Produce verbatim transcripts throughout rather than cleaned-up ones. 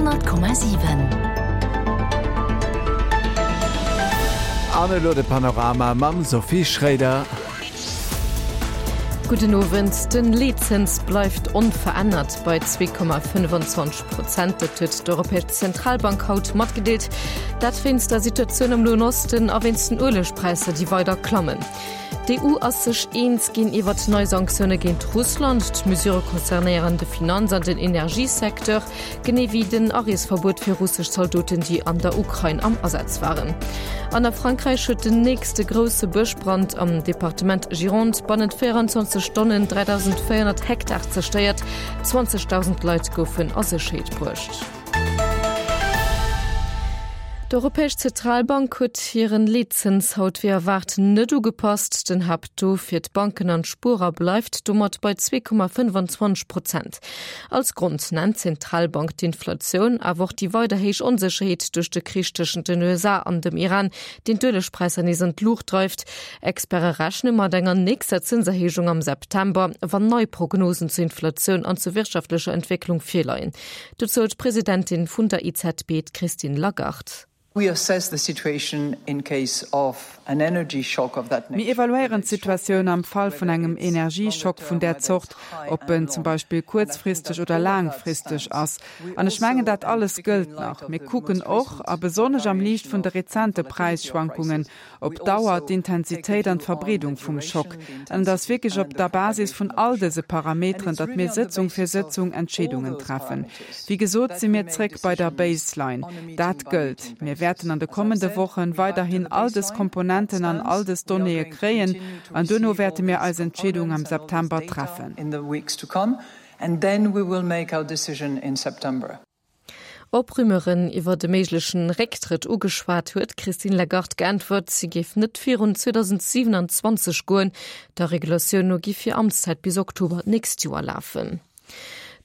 Honnert Komma siwen. An elo de Panorama mam Sophie Schréider. Gudden Owend. Den Leetzëns bleift onverännert bei zwee Komma fënnwanzwanzeg Prozent. Dat huet d'Europäesch Zentralbank haut matgedeelt. Dat wéinst der Situatioun am Noen Osten a wéinst den Uelegpräisser, déi weider klammen. D'EU ass sech eens ginn iwwert nei Sanktioune géint Russland. D'Mesurë concernéieren de Finanz an den Energiesecteur, genee wéi den Areesverbuet fir russesch Zaldoten, déi an der Ukrain am Asaz waren. An a Frankräich huet den nächste grousse Bëschbrand am Departement Gironde bannent véierenzwanzeg Stonnen dräidausendvéierhonnert Hektar zerstéiert. Zwanzegdausend Leit goufen a Sécherheet bruecht. D'Europäesch Zentralbank huet hiren Leetzëns haut wéi erwaart net ugepasst. Den Haapttaux fir d'Banken an d'Spuerer bleift domat bei zwee Komma fënnwanzwanzeg Prozent. Als Grond nennt d'Zentralbank d'Inflatioun, awer och déi weider héich Onsécherheet duerch de Krich tëschent den U S A an dem Iran, deen d'Uelegpräisser nees an d'Luucht dreift. Experte rechne mat enger nächster Zënserhéijung am September, wann nei Prognosen zur Inflatioun an zur wirtschaftlecher Entwécklung virleien. Dozou d'Presidentin vun der E Z B, d'Christine Lagarde. Mir evaluéieren d'Situatioun am Fall vun engem Energieschock vun där Zort, ob en zum Beispill kuerzfristeg oder laangfristeg ass. An ech mengen, dat alles gëllt nach. Mir kucken och, a besonnesch am Liicht vun de rezente Präisschwankungen, op d'Dauer, d'Intensitéit an d'Verbreedung vum Schock. An et ass wierklech op der Basis vun all dëse Parameteren, datt mir Sëtzung fir Sëtzung Entscheedungen treffen. Wéi gesot si mir zréck bei der Baseline. Dat gëllt. Mir wäerten an de kommende Wochen weiderhin all dës Komponenten an all dës Donnéeë kréien an duerno wäerte mir eis Entscheedung am September treffen. Op Rumeuren iwwer e méiglechen Récktrëtt ugeschwat, huet d'Christine Lagarde geäntwert, si géif net virun zweedausendsiwenanzwanzeg goen. Der Regulatioun no géif hir Amtszäit bis Oktober d'nächst Joer lafen.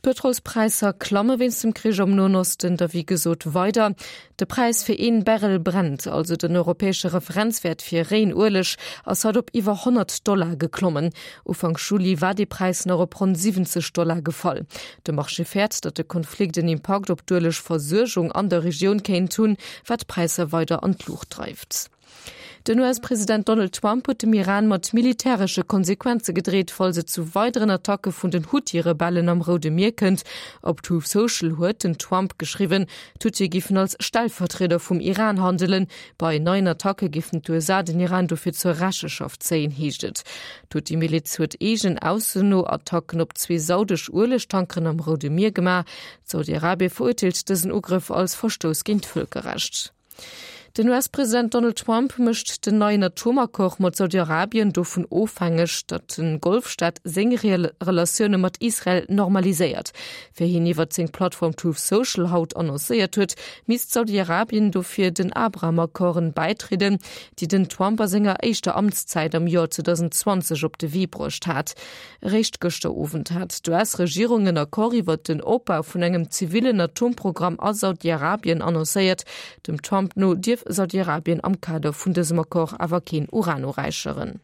D'Pëtrolspräisser klamme wéinst dem Krich am Noen Osten da wéi gesot weider. De Präis fir een Barrel Brent, also den europäesche Referenzwäert fir réien Ueleg, ass haut op iwwer honnert Dollar geklommen. Ufank Juli war dee Präis nach op ronn siwwenzeg Dollar gefall. De Marché fäert, datt de Konflikt en Impakt op d'Uelegversuergung an der Regioun kéint hunn, wat d'Präisser weider an d'Luucht dreift. Den U S-President Donald Trump huet dem Iran mat militäresche Konsequenze gedreet, falls et zu weideren Attacke vun den Huthi-Rebellen am Roude Mier kënnt. Op Truth Social huet den Trump geschriwwen, d'Huthie géifen als Stellvertrieder vum Iran handelen. Bei neien Attacke géifen d'U S A den Iran dofir zur Rechenschaft zéien, heescht et. D'Huthi-Miliz huet eegenen Aussoen no Attacken op zwee saudesch Uelegtankeren am Roude Mier gemaach. Saudi-Arabie verurteelt dësen Ugrëff als Verstouss géint d'Vëlkerrecht. Den U S-President Donald Trump mécht den neien Atomaccord mat Saudi-Arabien dovun ofhängeg, datt de Golfstaat seng Relatioune mat Israel normaliséiert. Wéi hien iwwer seng Plattform Truth Social haut annoncéiert huet, misst Saudi-Arabien dofir den Abraham-Accorden bäitrieden, déi den Trump a senger éischter Amtszäit am Joer zweedausendzwanzeg op de Wee bruecht hat. Eréischt gëschter Owend hat d'U S-Regierung en Accord iwwer den Opbau vun engem zivillen Atomprogramm a Saudi-Arabien annoncéiert. Dem Trump no dierf Saudi-Arabien am Kader vun dësem Accord awer keen Uran uräicheren.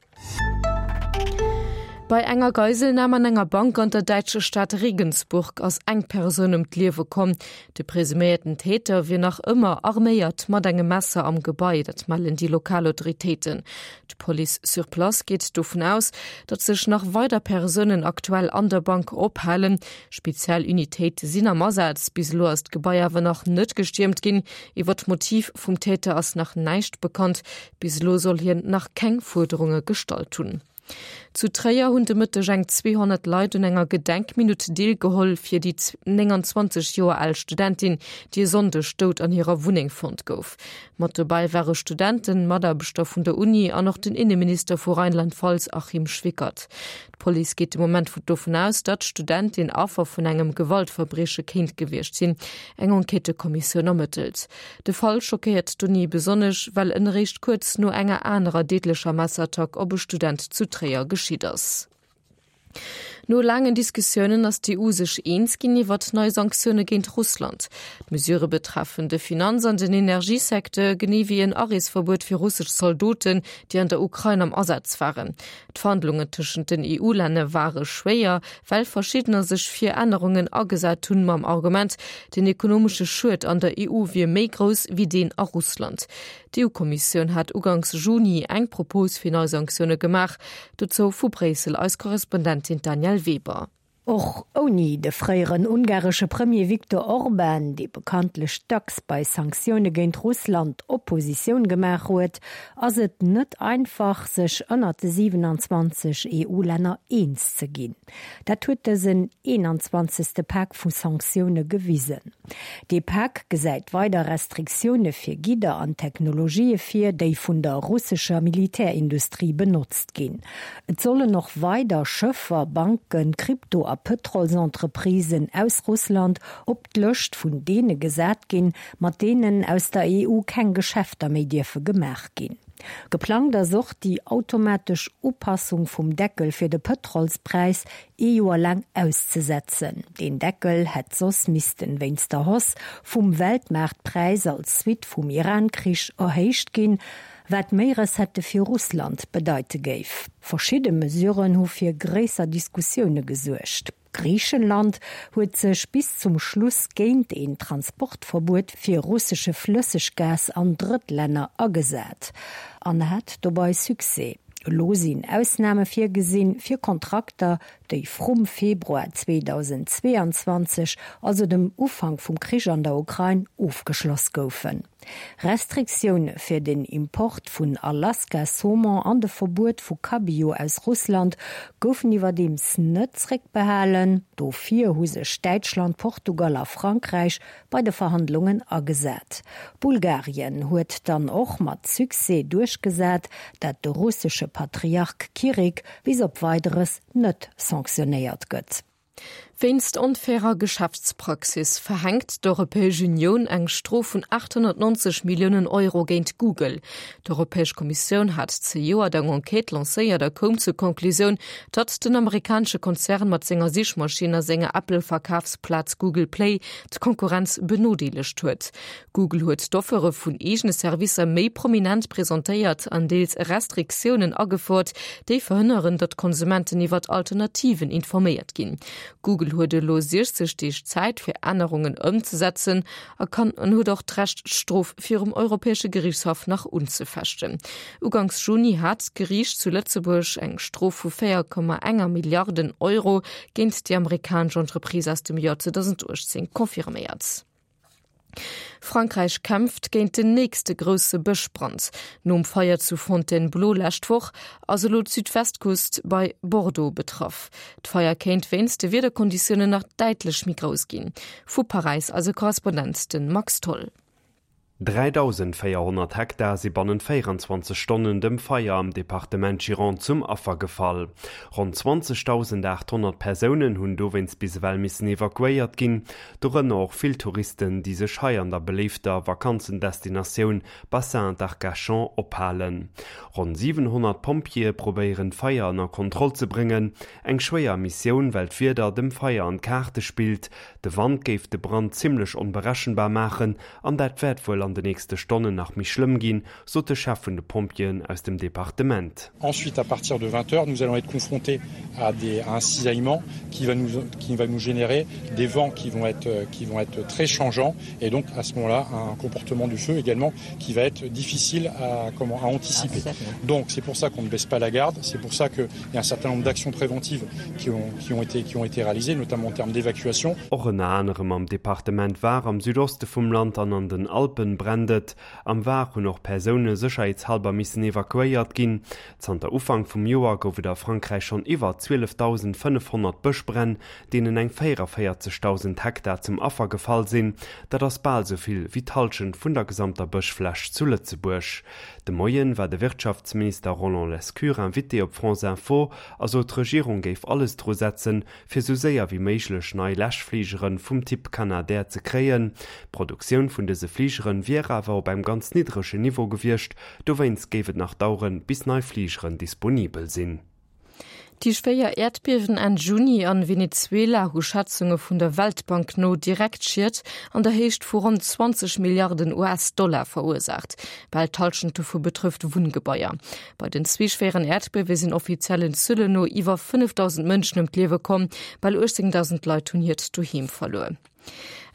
Bei enger Geiselnam an enger Bank an der däitscher Stad Regensburg ass eng Persoun ëm d'Liewe komm. De presuméierten Täter wier nach ëmmer arméiert mat engem Messer am Gebai, dat mellen déi lokal Autoritéiten. D'Police sur place geet dovun aus, datt sech nach weider Persounen aktuell an der Bank ophalen. Spezial Unitéite sinn am Asaz. Bis elo ass d'Gebai awer nach net gestiermt ginn. Iwwer d'Motiv vum Täter ass nach näischt bekannt. Bis elo soll hien nach keng Fuerderunge gestallt hunn. Zu Tréier hunn de Mëtteg eng zweehonnert Leit un enger Gedenkminutt deelgeholl fir déi nénganzwanzeg Joer al Studentin, déi e Sonndeg dout an hirer Wunneng fonnt gouf. Mat dobäi ware Studenten, Mataarbechter vun der Uni an och den Inneminister vu Rheinland-Pfalz Achim Schwickert. D'Police geet de Moment dovun aus, datt d'Studentin Affer vun engem Gewaltverbrieche kéint gewiescht sinn. Eng Enquêtëkommissioun ermëttelt. De Fall schockéiert d'Uni besonnesch, well en eréischt kuerz no enger anerer deedlecher Messerattack op e Student zu Tréier geschitt ass. No laangen Diskussiounen ass d'EU sech eens ginn iwwert nei Sanktioune géint Russland. D'Mesurë betreffen de Finanz an den Energiesecteur, genee wéi en Areesverbuet fir russesch Zaldoten, déi an der Ukrain am Asaz waren. D'Verhandlungen tëschent den EU-Länner ware schwéier, well verschiddener sech fir Ännerungen agesat hunn, mam Argument, den ekonomesche Schued an der EU wier méi grouss wéi deen a Russland. D'EU-Kommissioun hat uganks Juni eng Propos fir nei Sanktioune gemaach. Dozou vu Bréissel eis Korrespondentin Danièle Weber. Och ouni de fréieren ungaresche Premier Viktor Orban, dee bekanntlech dacks bei Sanktioune géint Russland Oppositioun gemaach huet, ass et net einfach, sech ënnert de siwenanzwanzeg EU-Länner eens ze ginn. Dat huet dësen eenanzwanzegste Pak vu Sanktioune gewisen. Dee Pak gesäit weider Restriktioune fir Gidder an Technologië vir, déi vun der russescher Militärindustrie benotzt ginn. Et sollen och weider Schëffer, Banken, Krypto a Pëtrolsentreprisen aus Russland op d'Lëscht vun deene gesat ginn, mat deenen aus der EU keng Geschäfter méi dierfe gemaach ginn. Geplangt ass och, déi automatesch Upassung vum Deckel fir de Pëtrolspräis ee Joer laang auszesetzen. Deen Deckel hätt soss missten wéinst der Hausse vum Weltmaartpräis als Suite vum Iran-Krich erhéicht ginn, wat méi Recettë fir Russland bedeite géif. Verschidde Mesuren hu fir gréisser Diskussioune gesuergt. Griichenland huet sech bis zum Schluss géint een Transportverbuet fir russesche Flësseggas an Drëttlänner agesat an hat dobei Succès. Elo sinn Ausname virgesinn fir Kontrakter, déi vrum Februar zweedausendzweeanzwanzeg, also dem Ufank vum Krich an der Ukrain, ofgeschloss goufen. Restriktioune fir den Import vun Alaska-Saumon an de Verbuet vu Cabillaud aus Russland goufen iwwerdeems net zréckbehalen. Dofir hu sech Däitschland, Portugal a Frankräich bei de Verhandlungen agesat. Bulgarien huet dann och mat Succès duerchgesat, dat de russesche Patriarch Kirill bis op Weideres net sanktionéiert gëtt. Wéinst onfairer Geschäftspraxis verhänkt d'Europäesch Unioun eng Strof vun achthonnertneunzeg Milliounen Euro géint Google. D'Europäesch Kommissioun hat zejoert eng Enquête lancéiert a koum zur Conclusioun, datt den amerikanesche Konzern mat senger Sichmaschinn a senger Apple-Verkafsplaz Google Play d'Konkurrenz benodeelegt huet. Google huet d'Offere vun eegene Servicer méi prominent presentéiert an deels Restriktiounen agefouert, déi verhënneren, datt Konsumenten iwwer Alternativen informéiert ginn. Google huet elo siechzeg Deeg Zäit fir Ännerungen ëmzesetzen a kann an huet och d'Recht d'Strof virum Europäesche Geriichtshaff nach unzefechten. Uganks Juni hat d'Geriicht zu Lëtzebuerg eng Strof vu véier Komma enger Milliarden Euro géint déi amerikanesch Entreprise aus dem Joer zweedausenduechtzéng confirméiert. Frankräich kämpft géint den nächste grousse Bëschbrand. Nom Feier zu Fontainebleau lescht Woch ass elo d'Südwestküst bei Bordeaux betraff. D'Feier kéint wéinst de Wiederkonditiounen nach däitlech méi grouss ginn. Vu Paräis eise Korrespondent, de Max Tholl. dräidausendvéierhonnert Hektar si bannent véieranzwanzeg Stonnen dem Feier am Departement Gironde zum Affer gefall. Ronn zwanzegdausendachthonnert Persounen hunn dowéinst bis ewell missen evakuéiert ginn, dorënner och vill Touristen, déi sech hei an der beléifter Vakanzendestinatioun Bassin d'Arcachon ophalen. Ronn siwenhonnert Pompjeeë probéieren d'Feier ënner Kontroll ze bréngen. Eng schwéier Missioun, well d'Wieder dem Feier an d'Kaarte spillt. De Wand géif de Brand zimmlech onberechenbar maachen an dat wäert wuel an de nächste Stonnen nach méi schlëmm ginn, sot de Chef vun de Pompjeeën aus dem Departement. Ensuite, à partir de vingt heures, nous allons être confrontés à des, à un cisaillement qui va nous, qui va nous générer des vents qui vont être, qui vont être très changeants et donc à ce moment-là un comportement du feu également qui va être difficile à, comment, à anticiper. Donc c'est pour ça qu'on ne baisse pas la garde, c'est pour ça qu'il y a un certain nombre d'actions préventives qui ont, qui ont été, qui ont été réalisées, notamment en termes d'évacuation. Och ënner anerem am Departement Var am Südoste vum Land an an den Alpen brennt et. Am Var hunn och Persoune sécherheetshalber missen evakuéiert ginn. Zanter Ufank vum Joer gouf et a Frankräich schonn iwwer zwielefdausendfënnefhonnert Bëschbränn, deenen eng véierunvéierzegdausend Hektar zum Affer gefall sinn. Dat ass bal esou vill wéi d'Hallschent vun der gesamter Bëschfläch zu Lëtzebuerg. De Moien war de Wirtschaftsminister Roland Lescure Invité op France Info a sot, d'Regierung géif alles dru setzen, fir sou séier wéi méiglech nei Läschfligere vum Typ Canadair ze kréien. D'Produktioun vun dëse Fligere wier awer op engem ganz niddregen Niveau gewiescht, dowéinst géif et nach daueren, bis nei Fligeren disponibel sinn. Déi schwéier Äerdbiewen Enn Juni an Venezuela hu Schätzunge vun der Weltbank no direkt Schied an der Héicht vu ronn zwanzeg Milliarden US-Dollar verursaacht. Bal d'Hallschent dovu betrëfft Wunngebaier. Bei den zwee schwéieren Äerdbiewe sinn offiziellen Zuelen no iwwer fënnefdausend Mënschen ëm d'Liewe komm, bal uechtzéngdausend Leit hunn hiert Doheem verluer.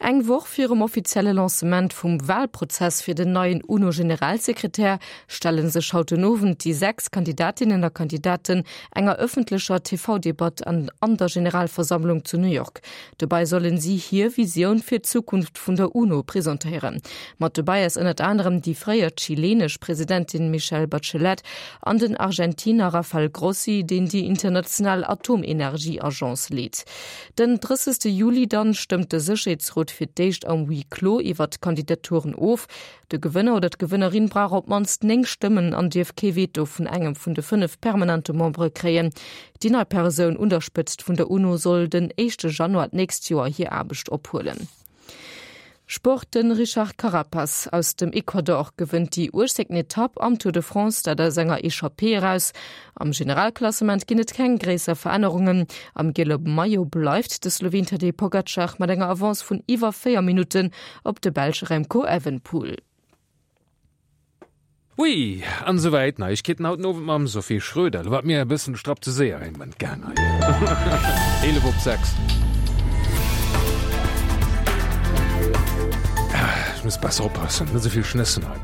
Eng Woch virum offizielle Lancement vum Walprozess fir den neien UNO-Generalsekretär stelle sech haut den Owend déi sechs Kandidatinnen a Kandidaten enger ëffentlecher T V-Debatt an an der Generalversammlung zu New York. Dobäi sollen si hir Visioun fir d'Zukunft vun der UNO presentéieren. Mat dobäi ass ënnert anerem déi fréier chilenesch Presidentin Michelle Bachelet an den Argentiner Rafael Grossi, deen déi international Atomenergieagence leet. Den drëssegste Juli dann stëmmt de Sécherheetsrot fir d'éischt am Huis clos iwwert d'Kandidaturen of. De Gewënner oder d'Gewënnerin brauch op d'mannst néng Stëmmen an dierf kee Veto vun engem vun de fënnef permanente Membere kréien. Déi nei Persoun un der Spëtzt vun der UNO soll den éischte Januar d'nächst Joer hir Aarbecht ophuelen. Sport, De Richard Carapaz aus dem Ecuador gewënnt déi uechtzéngten Etapp am Tour de France, dat aus enger Echappée eraus. Am Generalklassement ginn et keng gréisser Verännerungen. Am giele Maillot bleift de Sloween Tadej Pogacar mat enger Avance vun iwwer véier Minutten op de Belsch Remco Evenepoel. Ui, an esouwäit d'Neiegkeeten haut den Owend mam Sophie Schröder. Lo war et mir e bëssen strapp ze séier een Moment gaang hei. Eelef op sechs. Ech muss besser oppassen, net esou vill schnëssen hei.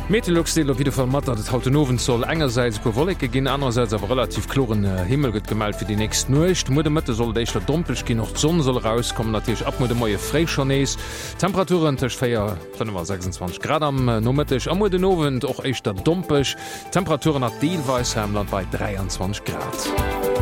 Meteolux deelt op jidde Fall mat, datt et haut den Owend soll engersäits e puer Wolleke ginn, anerersäits awer relativ kloren Himmel gëtt gemellt fir déi nächst Nuecht. Muer de Mëtte soll et éischter dompeg ginn, och d'Sonn soll erauskommen, natierlech ab muer de Moie fréi schonn nees. Temperaturen tëscht véier, fënnef a sechsundzwanzeg Grad am Nomëtteg a muer den Owend och éischter dompeg, Temperaturen nach deelweis hei am Land bei dräianzwanzeg Grad.